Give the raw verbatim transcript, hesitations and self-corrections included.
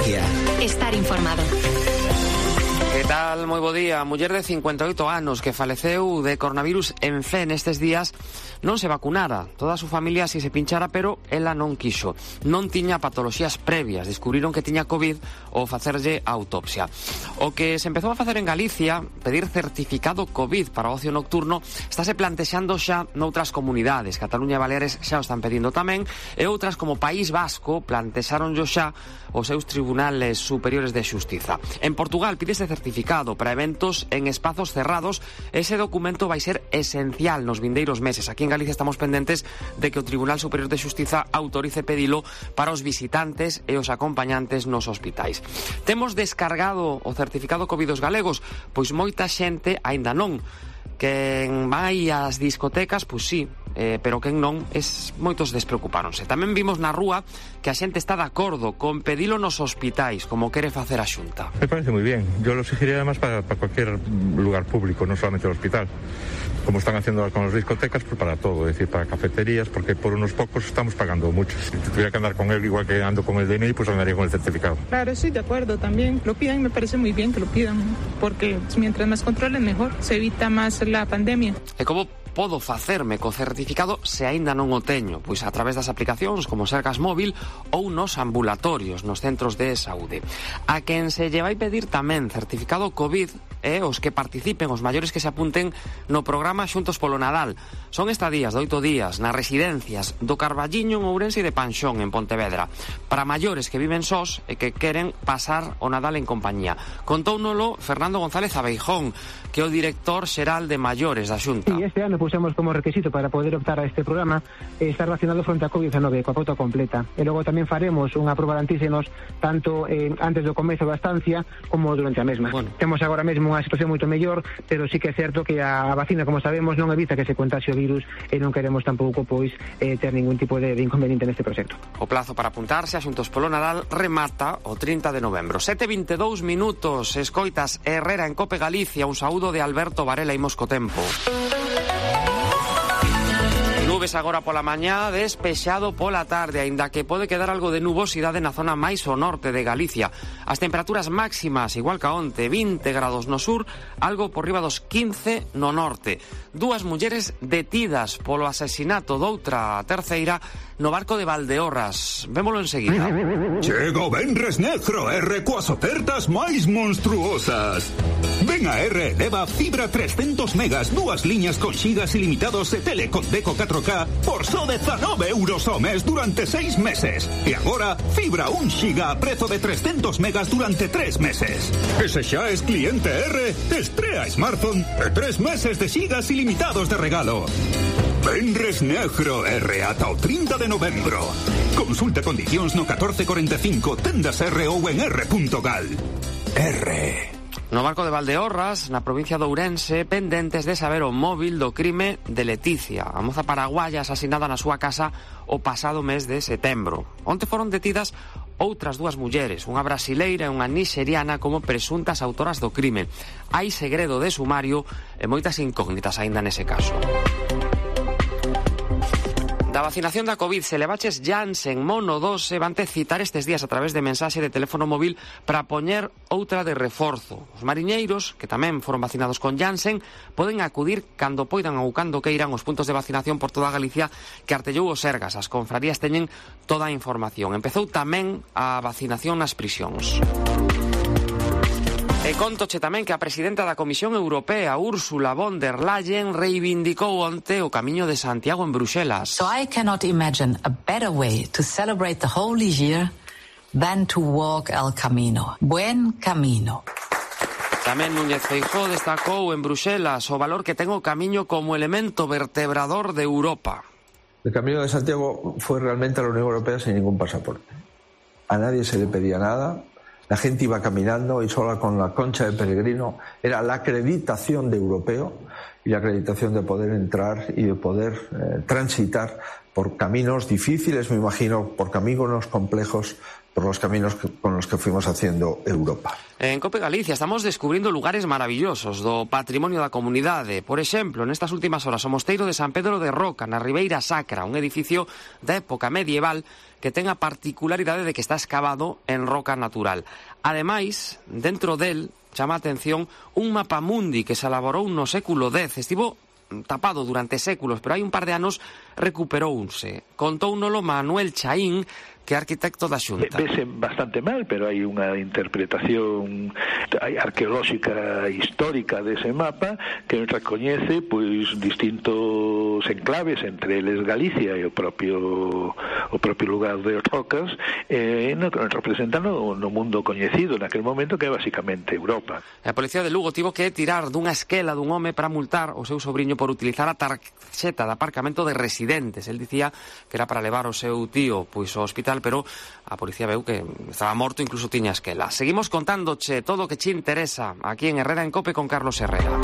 Galicia. Estar informado. Que tal? Moi bo día. A muller de cincuenta e oito anos que faleceu de coronavirus en fe nestes días non se vacunara. Toda a súa familia si se pinchara, pero ela non quixo. Non tiña patoloxías previas. Descubriron que tiña COVID ao facerlle a autopsia. O que se empezou a facer en Galicia, pedir certificado COVID para o ocio nocturno, estáse plantexando xa noutras comunidades. Cataluña e Baleares xa o están pedindo tamén, e outras como País Vasco plantexaronllo xa os seus tribunales superiores de xustiza. En Portugal pídese certificado para eventos en espazos cerrados. Ese documento vai ser esencial nos vindeiros meses. Aquí en Galicia estamos pendentes de que o Tribunal Superior de Xustiza autorice pedilo para os visitantes e os acompañantes nos hospitais. Temos descargado o certificado COVID dos galegos? Pois moita xente aínda non. Quen vai ás discotecas, pois sí, eh, pero quen non, es, moitos despreocupáronse. Tamén vimos na rúa que a xente está de acordo con pedilo nos hospitais, como quere facer a Xunta. Me parece moi bien. Yo lo exigiría además para, para cualquier lugar público, no solamente el hospital. Como están haciendo con las discotecas, pues para todo, es decir, para cafeterías, porque por unos pocos estamos pagando mucho. Si tuviera que andar con él igual que ando con el D N I, pues andaría con el certificado. Claro, estoy de acuerdo también. Lo pidan, me parece muy bien que lo pidan, porque mientras más controlen mejor, se evita más la pandemia. E como podo facerme co certificado se aínda non o teño? Pois a través das aplicacións como Sergas Móvil ou nos ambulatorios, nos centros de saúde. A quen se lle vai pedir tamén certificado COVID e os que participen, os maiores que se apunten no programa Xuntos polo Nadal. Son estadías de oito días nas residencias do Carballiño en Ourense e de Panxón en Pontevedra, para maiores que viven sós e que queren pasar o Nadal en compañía. Contóunolo Fernando González Abeijón, que é o director xeral de maiores da Xunta. E este ano pusemos como requisito para poder optar a este programa estar vacunado fronte a COVID diecinueve coa pauta completa. E logo tamén faremos unha proba de antíxenos tanto eh, antes do comezo da estancia como durante a mesma. Bueno. Temos agora mesmo unha situación moito mellor, pero sí que é certo que a vacina, como sabemos, non evita que se contaxe o virus e non queremos tampouco pois eh, ter ningún tipo de, de inconveniente neste proxecto. O plazo para apuntarse a Xuntos polo Nadal remata o trinta de novembro. sete e vinte e dous minutos, escoitas Herrera en Cope Galicia. Un saúdo de Alberto Varela. Imos co tempo. Nubes agora pola mañá, despexado pola tarde, aínda que pode quedar algo de nubosidade na zona máis ao norte de Galicia. As temperaturas máximas, igual que onte, vinte grados no sur, algo por riba dos quince no norte. Dúas mulleres detidas polo asesinato doutra terceira no barco de Valdeorras. Vémolo enseguida. Chega o Venres Negro R coas ofertas máis monstruosas. Ven a R, leva fibra trescentos megas, dúas liñas con xigas ilimitados e tele con deco catro K por só dezanove euros ao mes durante seis meses. E agora, fibra un xiga a prezo de trescentos megas durante tres meses. E se xa es cliente R, estrea smartphone e tres meses de xigas ilimitados de regalo. Venres Negro R ata o trinta de novembro. Consulta condicións no catorce cuarenta e cinco, tendas R ou en r punto gal. R. No barco de Valdeorras, na provincia de Ourense, pendentes de saber o móvil do crime de Leticia, a moza paraguaya asasinada na súa casa o pasado mes de setembro. Onte foron detidas outras dúas mulleres, unha brasileira e unha nixeriana, como presuntas autoras do crime. Hai segredo de sumario e moitas incógnitas aínda nese caso. Da vacinación da COVID, se levaches Janssen monodose, vante citar estes días a través de mensaxe de teléfono móvil para poñer outra de reforzo. Os mariñeiros, que tamén foron vacinados con Janssen, poden acudir cando poidan ou cando queiran os puntos de vacinación por toda Galicia que artellou o Sergas. As confrarías teñen toda a información. Empezou tamén a vacinación nas prisións. E contoche tamén que a presidenta da Comisión Europea, Ursula von der Leyen, reivindicou onte o Camiño de Santiago en Bruxelas. So I cannot imagine a better way to celebrate the Holy Year than to walk el Camino. Buen camino. Tamén Núñez Feijóo destacou en Bruxelas o valor que ten o Camiño como elemento vertebrador de Europa. El Camino de Santiago fue realmente a la Unión Europea sin ningún pasaporte. A nadie se le pedía nada. La gente iba caminando y sola con la concha de peregrino. Era la acreditación de europeo y la acreditación de poder entrar y de poder eh, transitar por caminos difíciles, me imagino, por caminos complejos, por los caminos que, con los que fuimos haciendo Europa. En COPE Galicia estamos descubrindo lugares maravillosos do patrimonio da comunidade. Por exemplo, nestas últimas horas, o Mosteiro de San Pedro de Roca, na Ribeira Sacra, un edificio da época medieval que ten a particularidade de que está escavado en roca natural. Ademais, dentro del, chama a atención un mapa mundi que se elaborou no século dez. Estivo tapado durante séculos, pero hai un par de anos recuperouse. Contounolo Manuel Chaín, que é arquitecto da Xunta. Vese bastante mal, pero hai unha interpretación arqueolóxica histórica dese mapa que recoñece pois distintos enclaves, entre eles Galicia e o propio o propio lugar de Rocas, eh, no, representando no mundo coñecido naquele momento, que é basicamente Europa. A Policía de Lugo tivo que tirar dunha esquela dun home para multar o seu sobriño por utilizar a tarxeta de aparcamento de residentes. El dicía que era para levar o seu tío pois ao hospital, pero a policía veu que estaba morto, incluso tiña esquela. Seguimos contándoche todo o que che interesa aquí en Herrera en Cope con Carlos Herrera.